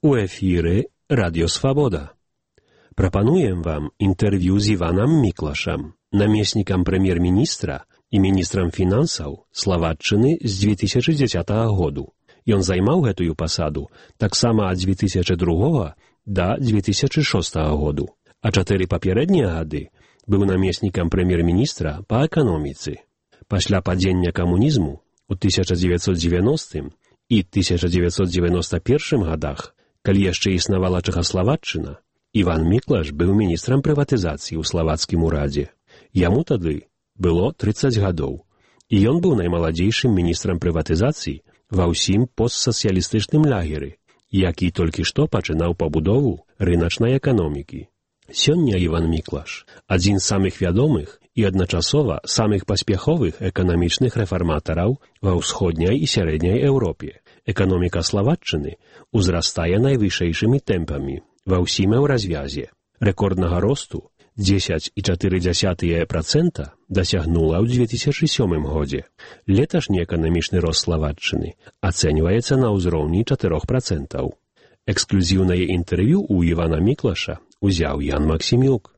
У эфіры Радіо Свабода. Прапануем вам інтэрв'ю з Іванам Міклашам, намеснікам прэм'ер-міністра і міністрам фінансаў Славатчыны з 2010 году. Ён займаў гэтую пасаду таксама ад 2002 да 2006 году, а 4 папярэднія гады быў намеснікам прэм'ер-міністра па эканоміцы. Пасля падзення камунізму у 1990 і 1991 годах, калі яшчэ існавала Чэхаславаччына, Іван Міклаш быў міністрам прыватызацыі ў славацкім урадзе. Яму тады было 30 гадоў, і ён быў наймаладзейшым міністрам прыватызацыі ва ўсім постсацыялістычным лагеры, які толькі што пачынаў пабудову рыначнай эканомікі. Сёння Іван Міклаш – адзін з самых вядомых і адначасова самых паспяховых эканамічных рэфарматараў ва ўсходняй і сярэдняй Еўропе. Эканоміка Славатчыны ўзрастае найвышэйшымі тэмпамі ва ўсім еўразвязе. Рэкорднага росту 10,4% дасягнула ў 2007 годзе. Леташні эканамічны рост Славатчыны ацэньваецца на ўзроўні 4%. Эксклюзіўнае інтэрв'ю ў Івана Міклаша узяў Ян Максімюк.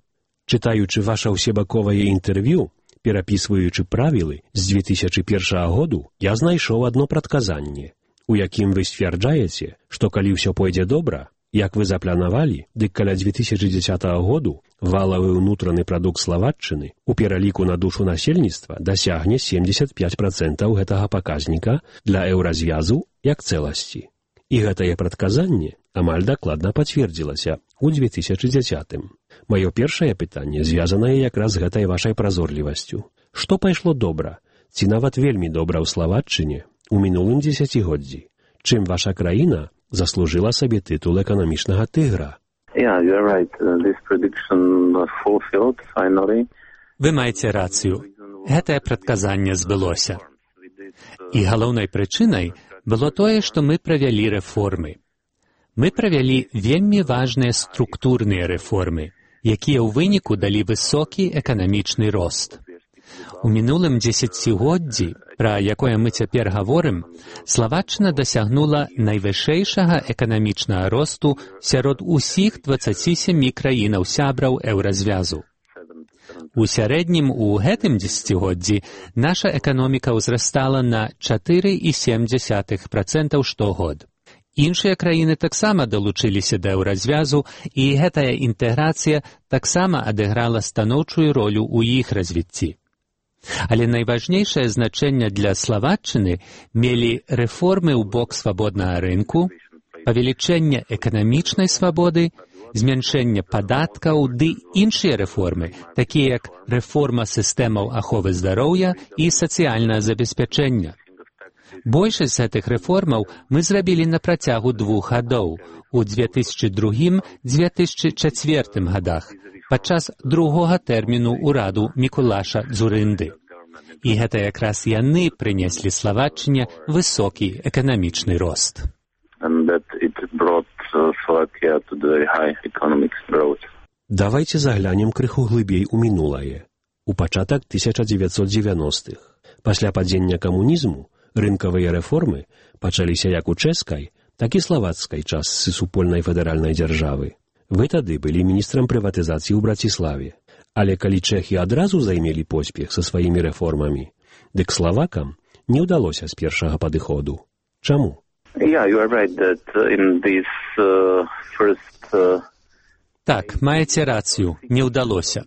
Чытаючы ваша ўсебаковае інтэрв'ю, перапісваючы правілы з 2001 году, я знайшоў адно прадказанне, у якім вы сцвярджаеце, што калі ўсё пойдзе добра, як вы запланавалі, дык каля 2010 году валавы ўнутраны прадукт Славатчыны у пераліку на душу насельніцтва дасягне 75% гэтага паказніка для еўразвязу як цэласці. І гэтае прадказанне амаль дакладна пацвердзілася ў 2010-м. Маё першае пытанне звязанае якраз з гэтай вашай празорлівасцю. Што пайшло добра, ці нават вельмі добра ў Славатчыне у мінулым дзесяцігоддзі? Чым ваша краіна заслужыла сабе тытул эканамічнага тыгра? Вы маеце рацыю. Гэтае прадказанне збылося. І галоўнай прычынай было тое, што мы правялі рэформы. Мы правялі вельмі важныя структурныя рэформы, якія ў выніку далі высокі эканамічны рост. У мінулым дзесяцігоддзі, пра якое мы цяпер гаворым, Славатчына дасягнула найвышэйшага эканамічнага росту сярод усіх 27 краінаў-сябраў еўразвязу. У сярэднім у гэтым дзесяцігоддзі наша эканоміка ўзрастала на 4,7% штогод. Іншыя краіны таксама далучыліся да еўразвязу, і гэтая інтэграцыя таксама адыграла станоўчую ролю ў іх развіцці. Але найважнейшае значэнне для Славатчыны мелі рэформы ў бок свабоднага рынку, павелічэнне эканамічнай свабоды, змяншэнне падаткаў ды іншыя рэформы, такія як рэформа сістэмаў аховы здароўя і сацыяльнае забеспячэння. Большасць з гэтых рэформаў мы зрабілі на працягу 2 гадоў, у 2002-2004 годах, падчас другога тэрміну ўраду Мікулаша Дзурынды. І гэта якраз яны прынеслі Славатчыне высокі эканамічны рост. Давайте заглянем крыху глыбей у мінулае. У пачатак 1990-х. Пасля падзення камунізму рынкавыя рэформы пачаліся як у чэшскай, так і славацкай частцы супольнай федэральнай дзяржавы. Вы тады былі міністрам прыватызацыі ў Браціславе. Але калі чэхі адразу займелі поспех са сваімі рэформамі, дык славакам не ўдалося з першага падыходу. Чаму? Так, маеце рацыю, не ўдалося.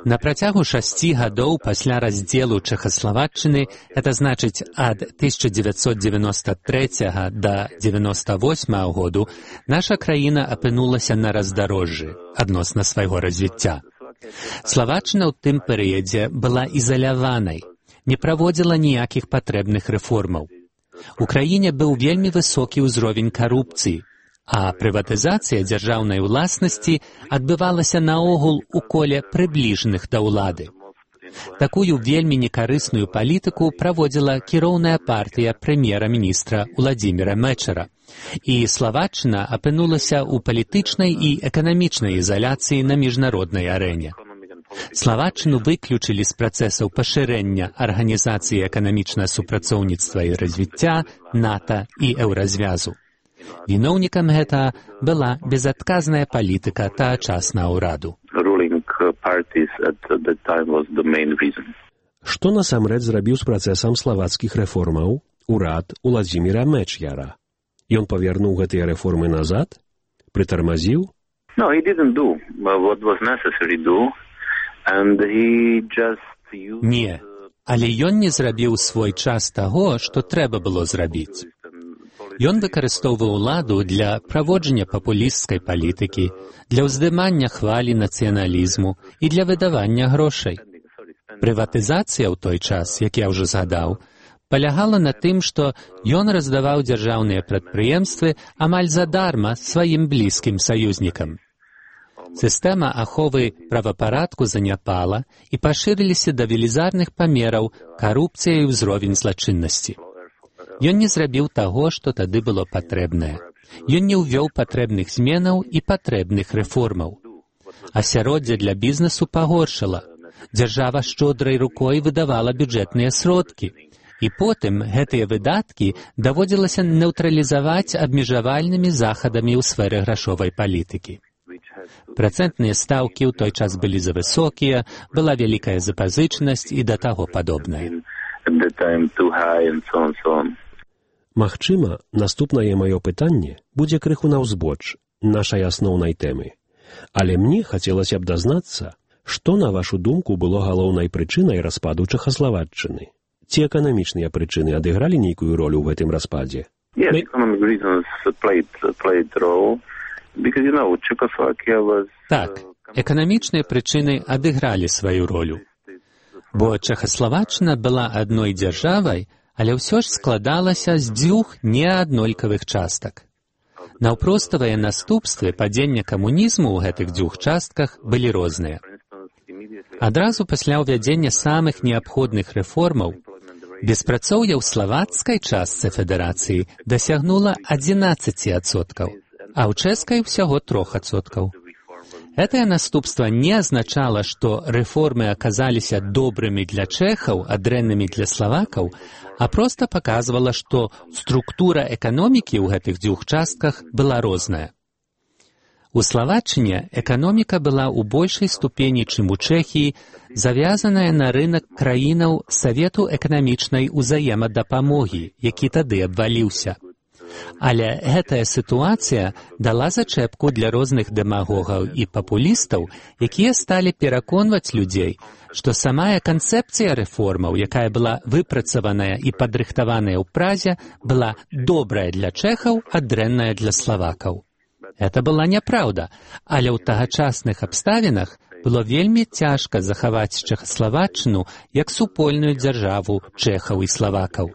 На працягу 6 гадоў пасля раздзелу Чэхаславатчыны, гэта значыць ад 1993 да 1998 году, наша краіна апынулася на раздарожжы адносна свайго развіцця. Славатчына ў тым перыядзе была ізаляванай, не праводзіла ніякіх патрэбных рэформаў. У краіне быў вельмі высокі ўзровень карупцыі, а прыватызацыя дзяржаўнай уласнасці адбывалася наогул у коле прыбліжаных да ўлады. Такую вельмі некарысную палітыку праводзіла кіроўная партыя прэм'ера-міністра Уладзіміра Мэчара, і Славатчына апынулася ў палітычнай і эканамічнай ізаляцыі на міжнароднай арэне. Славатчыну выключылі з працэсаў пашырэння Арганізацыі эканамічнага супрацоўніцтва і развіцця, НАТО і Еўразвязу. Віноўнікам гэта была безадказная палітыка тагачаснага ўраду. Што насамрэч зрабіў з працэсам славацкіх рэформаў урад Уладзіміра Меч'яра? Ён павернуў гэтыя рэформы назад? Прытармазіў? No, he didn't do what was necessary to do, and he just used... Не, але ён не зрабіў свой час таго, што трэба было зрабіць. Ён выкарыстоўваў уладу для праводжання папулісцкай палітыкі, для ўздымання хвалі нацыяналізму і для выдавання грошай. Прыватызацыя ў той час, як я ўжо згадаў, палягала на тым, што ён раздаваў дзяржаўныя прадпрыемствы амаль задарма сваім блізкім саюзнікам. Сістэма аховы правапарадку заняпала і пашырыліся да велізарных памераў карупцыя і ўзровень злачыннасці. Ён не зрабіў таго, што тады было патрэбнае. Ён не ўвёў патрэбных зменаў і патрэбных рэформаў. Асяроддзе для бізнесу пагоршала. Дзяржава шчодрай рукой выдавала бюджэтныя сродкі. І потым гэтыя выдаткі даводзілася нейтралізаваць абмежавальнымі захадамі ў сферы грашовай палітыкі. Працэнтныя стаўкі ў той час былі завысокія, была вялікая запазычанасць і да таго падобнае. Магчыма, наступнае маё пытанне будзе крыху наўзбоч нашай асноўнай тэмы. Але мне хацелася б дазнацца, што, на вашу думку, было галоўнай прычынай распаду Чэхаславаччыны? Ці эканамічныя прычыны адыгралі нейкую ролю ў гэтым распадзе? Yes, economic reasons played role. Так, эканамічныя прычыны адыгралі сваю ролю. Бо Чэхаславаччына была адной дзяржавай, але ўсё ж складалася з дзвюх неаднолькавых частак. Наўпроставыя наступствы падзення камунізму ў гэтых дзвюх частках былі розныя. Адразу пасля ўвядзення самых неабходных рэформаў беспрацоўе ў славацкай частцы федэрацыі дасягнула 11%. А ў чэшскай ўсяго 3%. Гэтае наступства не азначала, што рэформы аказаліся добрымі для чэхаў, а дрэннымі для славакаў, а проста паказвала, што структура эканомікі ў гэтых дзвюх частках была розная. У Славаччыне эканоміка была ў большай ступені, чым у Чэхіі, завязаная на рынак краінаў Савету эканамічнай узаемадапамогі, які тады абваліўся. Але гэтая сітуацыя дала зачэпку для розных дэмагогаў і папулістаў, якія сталі пераконваць людзей, што самая канцэпцыя рэформаў, якая была выпрацаваная і падрыхтаваная ў Празе, была добрая для чэхаў, а дрэнная для славакаў. Гэта была няпраўда, але ў тагачасных абставінах было вельмі цяжка захаваць Чэхаславаччыну як супольную дзяржаву чэхаў і славакаў.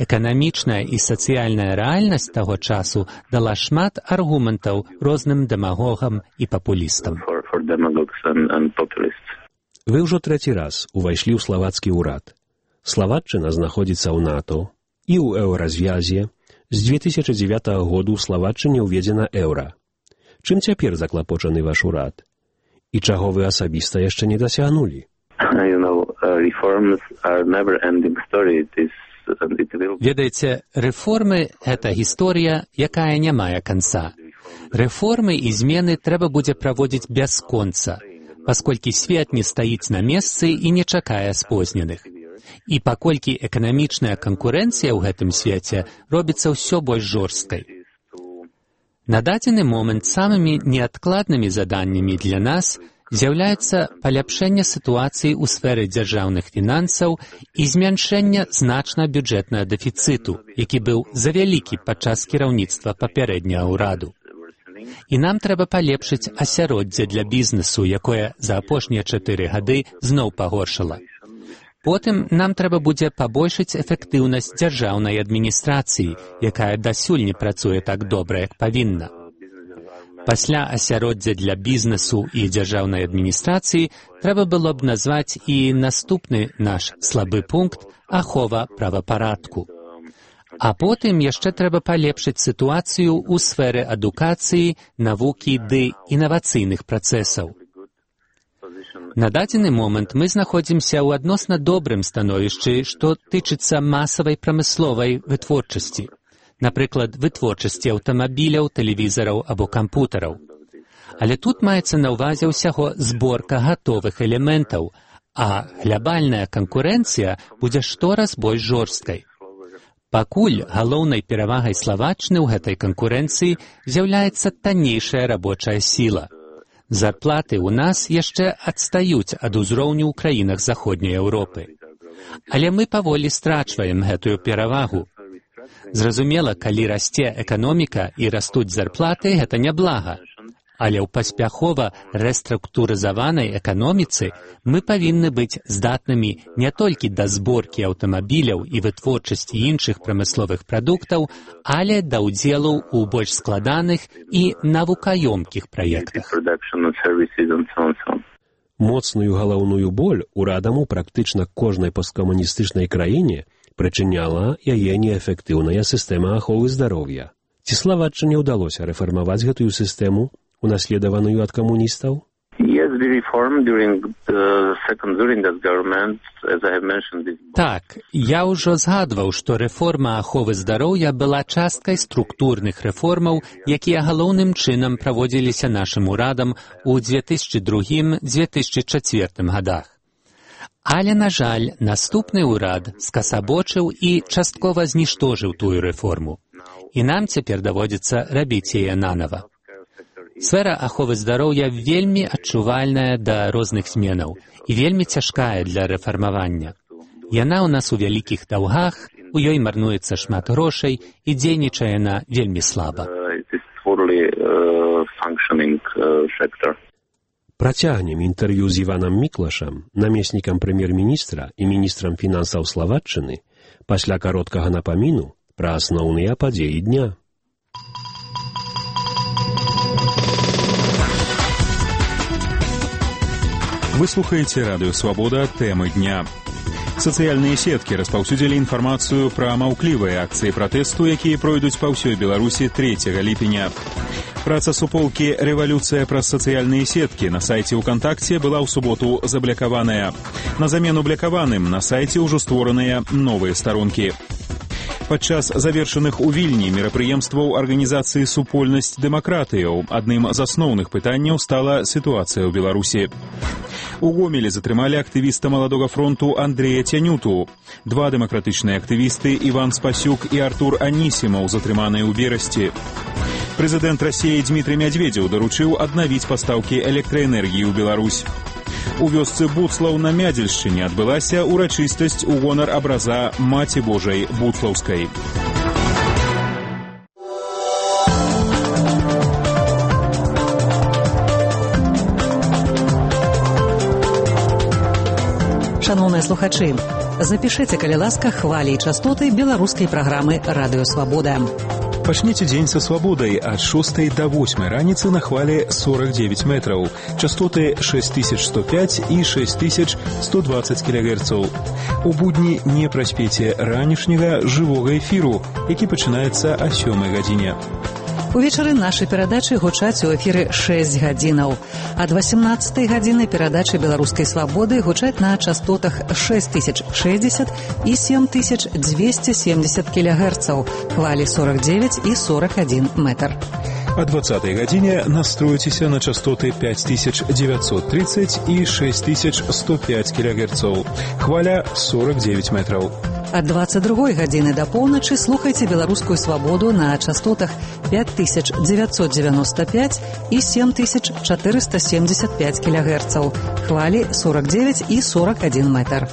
Эканамічная і сацыяльная рэальнасць таго часу дала шмат аргументаў розным дэмагогам і папулістам. Вы ўжо трэці раз увайшлі ў славацкі ўрад. Славаччына знаходзіцца ў НАТО і ў еўразвязе. З 2009 году ў Славаччыне ўведзена еўра. Чым цяпер заклапочаны ваш урад? І чаго вы асабіста яшчэ не дасягнулі? Ведаеце, рэформы – гэта гісторыя, якая не мае канца. Рэформы і змены трэба будзе праводзіць бясконца, пасколькі свет не стаіць на месцы і не чакае спозненых. І паколькі эканамічная канкурэнцыя ў гэтым свеце робіцца ўсё больш жорсткай. На дадзены момант самымі неадкладнымі заданнямі для нас з'яўляецца паляпшэнне сітуацыі ў сферы дзяржаўных фінансаў і змяншэнне значна бюджэтнага дэфіцыту, які быў завялікі падчас кіраўніцтва папярэдняга ўраду. І нам трэба палепшыць асяроддзе для бізнесу, якое за апошнія 4 гады зноў пагоршала. Потым нам трэба будзе пабольшыць эфектыўнасць дзяржаўнай адміністрацыі, якая дасюль не працуе так добра, як павінна. Пасля асяроддзя для бізнесу і дзяржаўнай адміністрацыі трэба было б назваць і наступны наш слабы пункт – ахова правапарадку. А потым яшчэ трэба палепшыць сітуацыю ў сферы адукацыі, навукі ды інавацыйных працэсаў. На дадзены момант мы знаходзімся ў адносна добрым становішчы, што тычыцца масавай прамысловай вытворчасці. напрыклад, вытворчасці аўтамабіляў, тэлевізараў або кампутараў. Але тут маецца на ўвазе ўсяго зборка гатовых элементаў, а глобальная канкурэнцыя будзе штораз больш жорсткай. Пакуль галоўнай перавагай Словаччыны ў гэтай канкурэнцыі з'яўляецца таннейшая рабочая сіла. Зарплаты ў нас яшчэ адстаюць ад узроўню ў краінах Заходняй Еўропы. Але мы паволі страчваем гэтую перавагу. Зразумела, калі расце эканоміка і растуць зарплаты, гэта няблага. Але ў паспяхова рэструктурызаванай эканоміцы мы павінны быць здатнымі не толькі да зборкі аўтамабіляў і вытворчасці іншых прамысловых прадуктаў, але да ўдзелу ў больш складаных і навукаёмкіх праектах. Моцную галаўную боль урадам у практычна кожнай посткамуністычнай краіне прычыняла яе неэфектыўная сістэма аховы здароўя. Ці Словаччыне ўдалося рэфармаваць гэтую сістэму, унаследаваную ад камуністаў? Так, я ўжо згадваў, што рэформа аховы здароўя была часткай структурных рэформаў, якія галоўным чынам праводзіліся нашым урадам у 2002-2004 годах. Але, на жаль, наступны ўрад скасабочыў і часткова зніштожыў тую рэформу. І нам цяпер даводзіцца рабіць яе нанава. Сфера аховы здароўя вельмі адчувальная да розных зменаў і вельмі цяжкая для рэфармавання. Яна ў нас у вялікіх даўгах, у ёй марнуецца шмат грошай і дзейнічае яна вельмі слаба. Працягнем інтэрв'ю з Іванам Міклашам, намеснікам прэм'ер-міністра і міністрам фінансаў Словаччыны, пасля кароткага напаміну пра асноўныя падзеі дня. Вы слухаете Радио Свобода. Темы дня. Сацыяльныя сеткі распаўсюдзілі інфармацыю пра маўклівыя акцыі пратэсту, якія пройдуць па ўсёй Беларусі 3 ліпеня. Праца суполкі «Рэвалюцыя праз сацыяльныя сеткі» на сайце ВКонтакце была ў суботу заблякаваная. На замену блякаваным на сайце ўжо створаныя новыя старонкі. Падчас завершаных у Вільні мерапрыемстваў арганізацыі «Супольнасць дэмакратыяў» адным з асноўных пытанняў стала сітуацыя ў Беларусі. У Гомелі затрымалі актывіста Маладога фронту Андрэя Цянюту. Два дэмакратычныя актывісты Іван Спасюк і Артур Анісімаў затрыманыя ў верасці. Прэзідэнт Расіі Дмітрый Мядзведзеў даручыў аднавіць пастаўкі электраэнергіі ў Беларусь. У вёсцы Буцлаў на Мядзельшчыне адбылася урачыстасць у гонар абраза Маці Божай Буцлаўскай. Шановныя слухачы, запішыце, калі ласка, хвалі і частоты беларускай праграмы «Радыё Свабода». Пачніце дзень са свабодай ад 6 до 8 раніцы на хвалі 49 метраў, частоты 6105 і 6120 кГц. У будні не праспеце ранішняга жывога эфіру, які пачынаецца о 7 гадзіне. Увечары нашай перадачы гучаць у эфіры 6 гадзінаў. Ад 18 гадзіны перадачы беларускай свабоды гучаць на частотах 6060 і 7270 кГц, хвалі 49 і 41 метр. О 20 гадзіне настроіцеся на частоты 5930 і 6105 кГц, хваля 49 метраў. Ад 22 гадзіны да поўначы слухайце беларускую свабоду на частотах 5995 і 7475 кГц, хвалі 49 і 41 метр.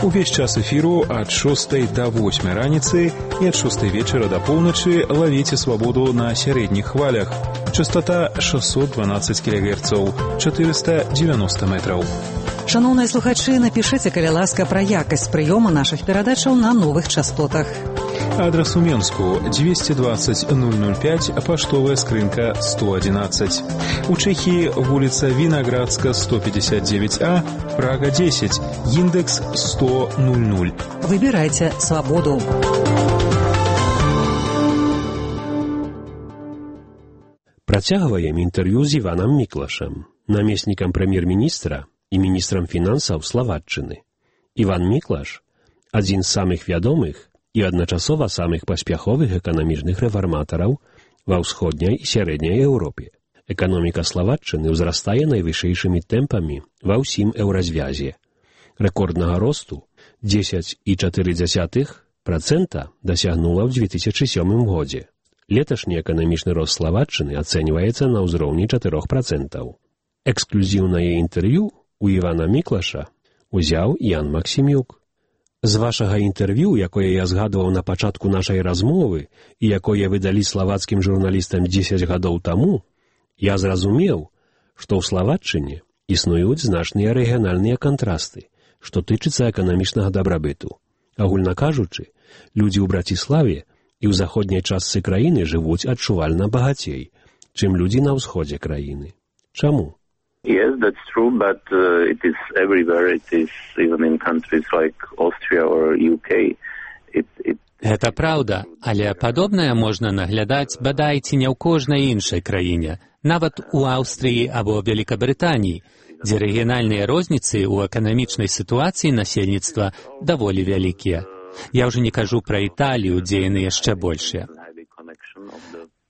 Увесь час эфіру ад 6 до 8 раніцы і ад 6 вечара до поўначы лавіце свабоду на сярэдніх хвалях. Частота 612 кГц, 490 метраў. Шановныя слухачы, напішыце, калі ласка, пра якасць прыёму нашых перадачаў на новых частотах. Адрас у Менску 220 005, паштовая скрынка 111. У Чэхіі вуліца Вінаградска 159А, Прага 10, індекс 10000. Выбірайце свабоду. Працягваем інтэрв'ю з Іванам Міклашам, намеснікам прэм'ер-міністра і міністрам фінансаў Словаччыны. Іван Міклаш – адзін з самых вядомых і адначасова самых паспяховых эканамічных рэфарматараў ва ўсходняй і сярэдняй Еўропе. Эканоміка Славаччыны ўзрастае найвышэйшымі тэмпамі ва ўсім еўразвязе. Рэкорднага росту 10,4% дасягнула ў 2007 годзе. Леташні эканамічны рост Славаччыны ацэньваецца на ўзроўні 4%. Эксклюзіўнае інтэрв'ю у Івана Міклаша узяў Ян Максімюк. З вашага інтэрв'ю, якое я згадваў на пачатку нашай размовы і якое вы далі славацкім журналістам 10 гадоў таму, я зразумеў, што ў Славаччыне існуюць значныя рэгіянальныя кантрасты, што тычыцца эканамічнага дабрабыту. Агульна кажучы, людзі ў Браціславе і ў заходняй частцы краіны жывуць адчувальна багацей, чым людзі на ўсходзе краіны. Чаму? Yes, that's true, but it is everywhere. It is even in countries like Austria or UK. Гэта праўда, але падобнае можна наглядаць бадай ці не ў кожнай іншай краіне, нават у Аўстрыі або Вялікабрытаніі, дзе рэгіянальныя розніцы ў эканамічнай сітуацыі насельніцтва даволі вялікія. Я ўжо не кажу пра Італію, дзе яны яшчэ большыя.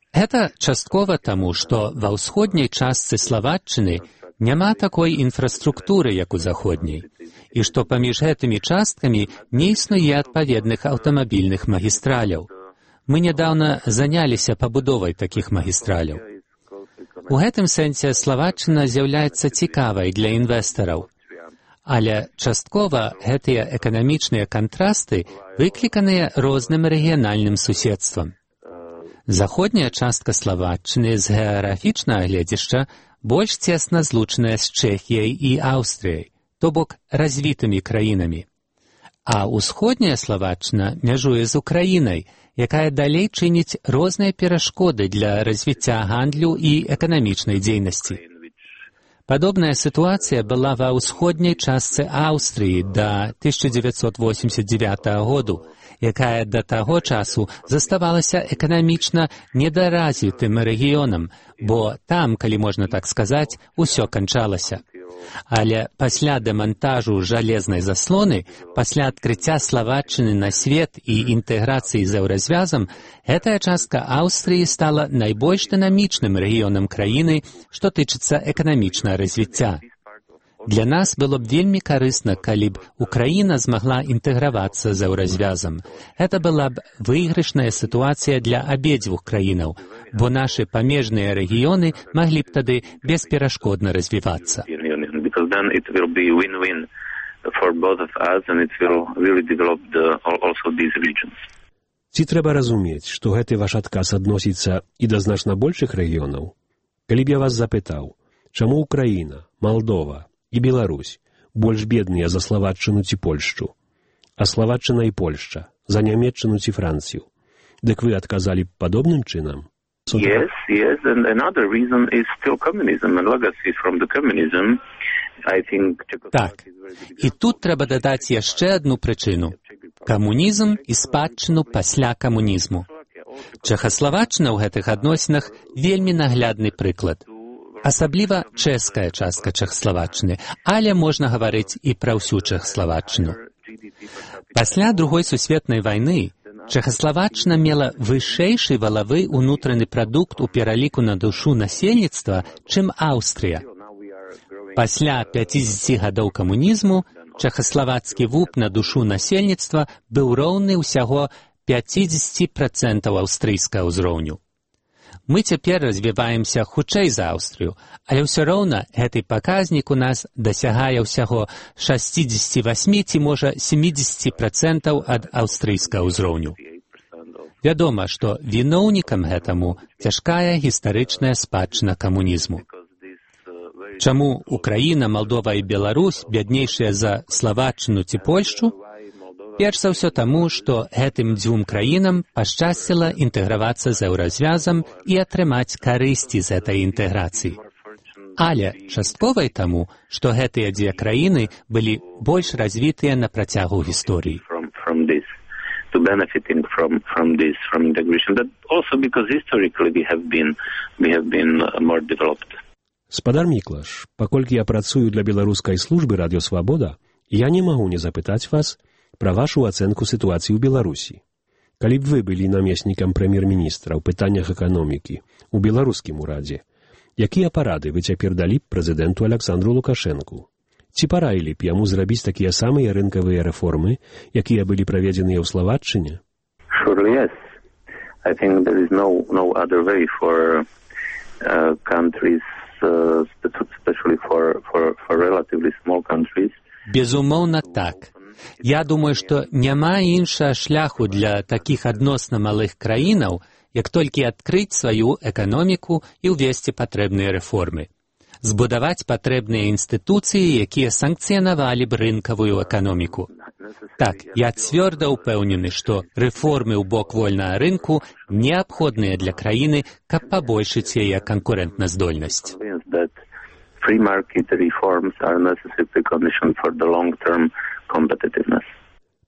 Гэта часткова таму, што ва ўсходняй частцы Славаччыны няма такой інфраструктуры, як у заходняй, і што паміж гэтымі часткамі не існуе адпаведных аўтамабільных магістраляў. Мы нядаўна заняліся пабудовай такіх магістраляў. У гэтым сэнсе Славаччына з'яўляецца цікавай для інвестараў. Але часткова гэтыя эканамічныя кантрасты выкліканыя розным рэгіянальным суседствам. Заходняя частка Славаччыны з геаграфічнага гледзяшча больш цесна злучаная з Чэхіяй і Аўстрыяй, то бок развітымі краінамі. А ўсходняя Славаччына мяжуе з Украінай, якая далей чыніць розныя перашкоды для развіцця гандлю і эканамічнай дзейнасці. Падобная сітуацыя была ва ўсходняй частцы Аўстрыі да 1989 году, якая да таго часу заставалася эканамічна недаразвітым рэгіёнам, бо там, калі можна так сказаць, усё канчалася. Але пасля дэмантажу жалезнай заслоны, пасля адкрыцця Славаччыны на свет і інтэграцыі з еўразвязам, гэтая частка Аўстрыі стала найбольш дынамічным рэгіёнам краіны, што тычыцца эканамічнага развіцця. Для нас было б вельмі карысна, калі б Украіна змагла інтэгравацца з еўразвязам. Гэта была б выйгрышная сітуацыя для абедзвюх краінаў, бо нашы памежныя рэгіёны маглі б тады бесперашкодна развівацца. Ці трэба разумець, што гэты ваш адказ адносіцца і да значна большых рэгіёнаў? Калі б я вас запытаў, чаму Украіна, Малдова і Беларусь больш бедныя за Славаччыну ці Польшчу, а Славаччына і Польшча за Нямецчыну ці Францыю, дык вы адказалі б падобным чынам? Yes, and another reason is still communism and legacy from the communism. I think Так, і тут трэба дадаць яшчэ адну прычыну – камунізм і спадчыну пасля камунізму. Чэхаславаччына ў гэтых адносінах вельмі наглядны прыклад. Асабліва чэшская частка Чэхаславаччыны, але можна гаварыць і пра ўсю Чэхаславаччыну. Пасля Другой сусветнай вайны Чэхаславаччына мела вышэйшы валавы ўнутраны прадукт у пераліку на душу насельніцтва, чым Аўстрыя. Пасля 50 гадоў камунізму чэхаславацкі вуп на душу насельніцтва быў роўны ўсяго 50% аўстрыйскага ўзроўню. Мы цяпер развіваемся хутчэй за Аўстрыю, але ўсё роўна гэты паказнік у нас дасягае ўсяго 68 ці, можа, 70% ад аўстрыйскага ўзроўню. Вядома, што віноўнікам гэтаму цяжкая гістарычная спадчына камунізму. Чаму Украіна, Малдова і Беларусь бяднейшыя за Славаччыну ці Польшчу? Перш за ўсё таму, што гэтым дзвюм краінам пашчасціла інтэгравацца з еўразвязам і атрымаць карысці з гэтай інтэграцыі. Але частковай таму, што гэтыя дзве краіны былі больш развітыя на працягу гісторыі. Спадар Міклаш, паколькі я працую для беларускай службы «Радыё Свабода», я не магу не запытаць вас пра вашу ацэнку сітуацыі ў Беларусі. Калі б вы былі намеснікам прэм'ер-міністра ў пытаннях эканомікі ў беларускім урадзе, якія парады вы цяпер далі б прэзідэнту Аляксандру Лукашэнку? Ці параілі б яму зрабіць такія самыя рынкавыя рэформы, якія былі праведзеныя ў Словаччыне? Surely yes. I think there is no other way for countries, especially for relatively small countries. Безумоўна, так. Я думаю, што няма іншага шляху для такіх адносна малых краінаў, як толькі адкрыць сваю эканоміку і ўвесці патрэбныя рэформы. Збудаваць патрэбныя інстытуцыі, якія санкцыянавалі б рынкавую эканоміку. Так, я цвёрда ўпэўнены, што рэформы ў бок вольнага рынку неабходныя для краіны, каб пабольшыць яе канкурэнтназдольнасць. Free market reforms are a necessary precondition for the long-term competitiveness.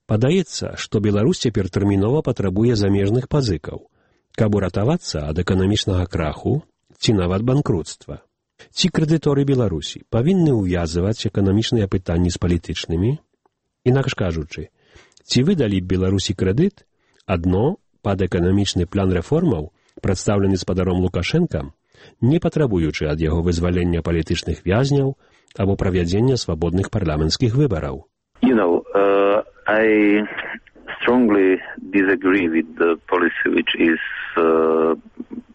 Падаецца, што Беларусь цяпер тэрмінова патрабуе замежных пазыкаў, каб уратавацца ад эканамічнага краху ці нават банкруцтва. Ці крэдыторы Беларусі павінны ўвязваць эканамічныя пытанні з палітычнымі? Інакш кажучы, ці выдалі б Беларусі крэдыт адно пад эканамічны план рэформаў, прадстаўлены спадаром Лукашэнкам, не патрабуючы ад яго вызвалення палітычных вязняў або правядзення свабодных парламенцкіх выбараў? I strongly disagree with the policy which is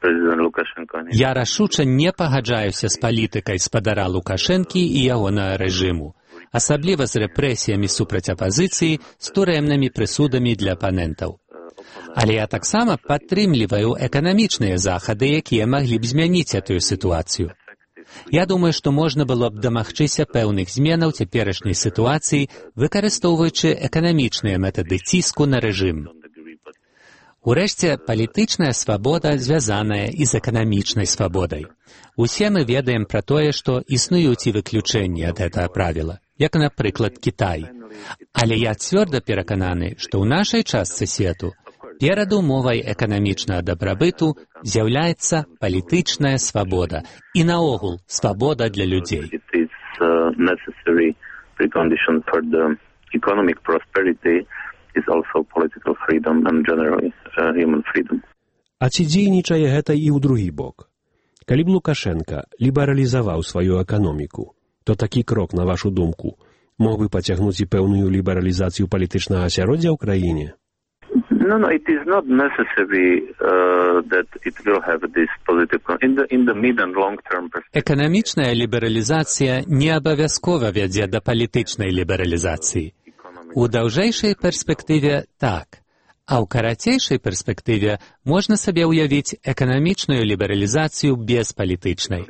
President Lukashenko. Я рашуча не пагаджаюся з палітыкай спадара Лукашэнкі і ягонага рэжыму, асабліва з рэпрэсіямі супраць апазіцыі, з турэмнымі прысудамі для апанентаў. Але я таксама падтрымліваю эканамічныя захады, якія маглі б змяніць гэтую сітуацыю. Я думаю, што можна было б дамагчыся пэўных зменаў цяперашняй сітуацыі, выкарыстоўваючы эканамічныя метады ціску на рэжым. Урэшце, палітычная свабода звязаная і з эканамічнай свабодай. Усе мы ведаем пра тое, што існуюць і выключэнні ад гэтага правіла, як, напрыклад, Кітай. Але я цвёрда перакананы, што ў нашай частцы свету перадумовай эканамічнага дабрабыту з'яўляецца палітычная свабода і, наогул, свабода для людзей. А ці дзейнічае гэта і ў другі бок? Калі б Лукашенка лібералізаваў сваю эканоміку, то такі крок, на вашу думку, мог бы пацягнуць і пэўную лібералізацыю палітычнага асяроддзя ў краіне? No, it is not necessary that it will have this positive in the mid and long term perspective. Эканамічная лібералізацыя не абавязкова вядзе да палітычнай лібералізацыі. У даўжэйшай перспектыве так, а ў карацейшай перспектыве можна сабе ўявіць эканамічную лібералізацыю без палітычнай.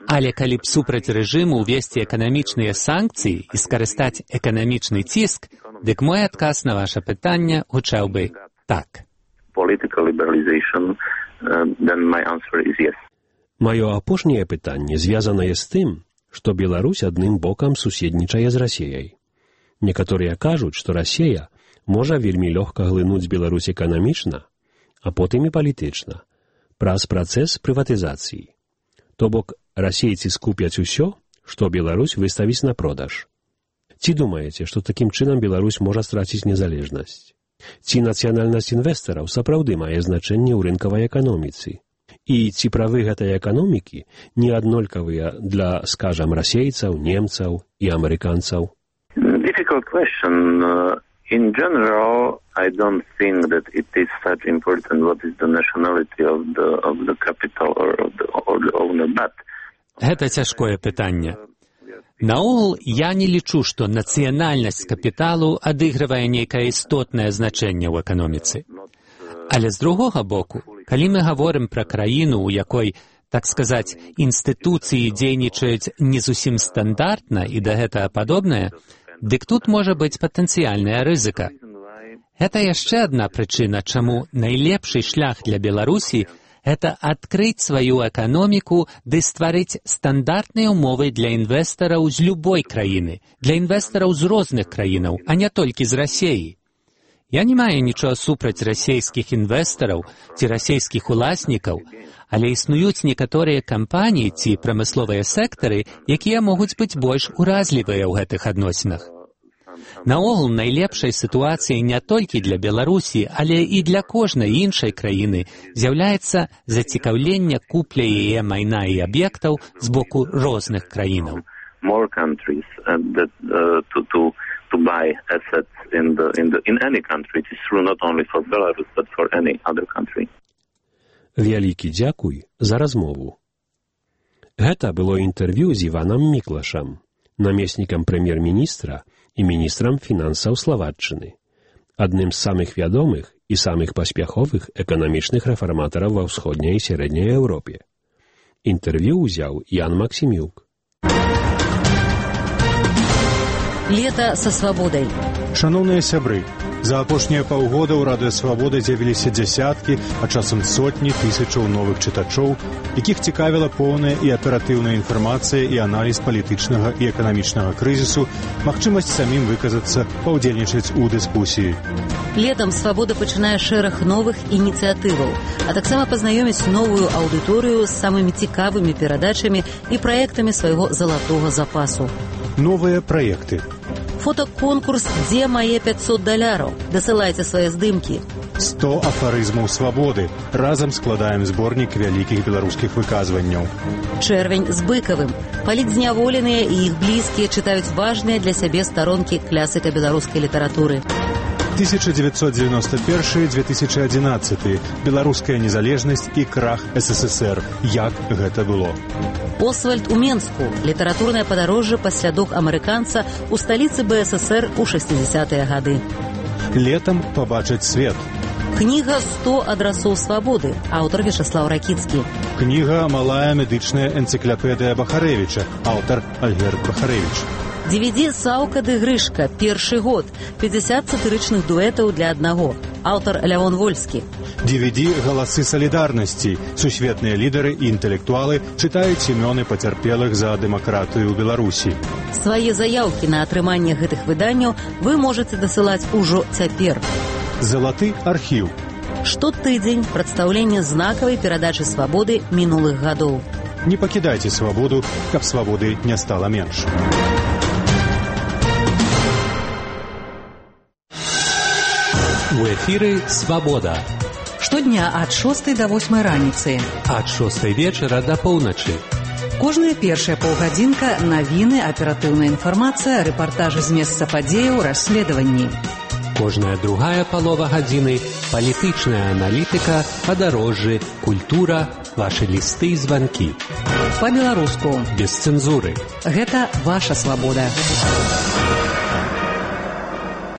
Але калі б супраць рэжыму ўвесці эканамічныя санкцыі і скарыстаць эканамічны ціск, дык мой адказ на ваше пытанне гучаў бы так. Маё апошняе пытанне звязанае з тым, што Беларусь адным бокам суседнічае з Расіяй. Некаторыя кажуць, што Расія можа вельмі лёгка глынуць Беларусь эканамічна, а потым і палітычна, праз працэс прыватызацыі. То бок, расейцы скупяць усё, што Беларусь выставіць на продаж. Ці думаеце, што такім чынам Беларусь можа страціць незалежнасць? Ці нацыянальнасць інвестараў сапраўды мае значэнне ў рынкавай эканоміцы? І ці правы гэтай эканомікі не аднолькавыя для, скажам, расейцаў, немцаў і амерыканцаў? Difficult question. In general, I don't think that it is such important what is the nationality of the capital or the owner, but гэта цяжкое пытанне. Наогул, я не лічу, што нацыянальнасць капіталу адыгрывае нейкае істотнае значэнне ў эканоміцы. Але з другога боку, калі мы гаворым пра краіну, у якой, так сказаць, інстытуцыі дзейнічаюць не зусім стандартна і да гэтага падобнае, дык тут можа быць патэнцыяльная рызыка. Гэта яшчэ адна прычына, чаму найлепшы шлях для Беларусі гэта адкрыць сваю эканоміку ды стварыць стандартныя ўмовы для інвестараў з любой краіны, для інвестараў з розных краінаў, а не толькі з Расіі. Я не маю нічога супраць расійскіх інвестараў ці расійскіх уласнікаў, але існуюць некаторыя кампаніі ці прамысловыя сектары, якія могуць быць больш уразлівыя ў гэтых адносінах. Наогул, найлепшай сітуацыяй не толькі для Беларусі, але і для кожнай іншай краіны з'яўляецца зацікаўленне купля яе майна і аб'ектаў з боку розных краінаў. More countries to buy assets in any country. It is true not only for Belarus, but for any other country. Вялікі дзякуй за размову. Гэта было інтэрв'ю з Іванам Міклашам, намеснікам прэм'ер-міністра і міністрам фінансаў Славаччыны, адным з самых вядомых і самых паспяховых эканамічных рэфарматараў ва ўсходняй і сярэдняй Еўропе. Інтэрв'ю ўзяў Ян Максімюк. Лето со свободой. Шановныя сябры, за апошнія паўгода ў Радыё Свабода з'явіліся дзясяткі, а часам сотні тысячаў новых чытачоў, якіх цікавіла поўная і аператыўная інфармацыя і аналіз палітычнага і эканамічнага крызісу, магчымасць самім выказацца, паўдзельнічаць у дыскусіі. Летом «Свобода» пачынае шэраг новых ініцыятываў, а таксама пазнаёміць новую аўдыторыю з самымі цікавымі перадачамі і праектамі свайго залатога запасу. Новыя праекты. Фотоконкурс «Дзе мае $500?» Дасылайце свае здымкі. 100 афарызмаў свабоды. Разам складаем зборнік вялікіх беларускіх выказванняў. Чэрвень з Быкавым. Палітзняволеныя і іх блізкія чытаюць важныя для сябе старонкі класіка беларускай літаратуры. 1991-2011. Беларуская незалежнасць і крах СССР. Як гэта было? Освальд у Менску. Літаратурнае падарожжа па слядах амерыканца ў сталіцы БССР у 60-е гады. Летам пабачыць свет. Кніга «100 адрасоў свабоды». Аўтар Вячаслаў Ракіцкі. Кніга «Малая медычная энцыклапедыя Бахарэвіча». Аўтар Альгерд Бахарэвіч. DVD «Саўка ды Грышка». Першы год. 50 сатырычных дуэтаў для аднаго. Аўтар Лявон Вольскі. DVD «Галасы салідарнасці». Сусветныя лідары і інтэлектуалы чытаюць імёны пацярпелых за дэмакратыю ў Беларусі. Свае заяўкі на атрыманне гэтых выданняў вы можаце дасылаць ужо цяпер. Залаты архіў. Штотыдзень прадстаўленне знакавай перадачы свабоды мінулых гадоў. Не пакідайце свабоду, каб свабоды не стала менш. У эфіры «Свабода». Штодня ад 6 до 8 раніцы. Ад 6 вечара да поўначы. Кожная першая паўгадзінка – навіны, аператыўная інфармацыя, рэпартажы з месца падзеяў, расследаванні. Кожная другая палова гадзіны – палітычная аналітыка, падарожжы, культура, вашы лісты і званкі. Па-беларуску. Без цэнзуры. Гэта ваша свабода.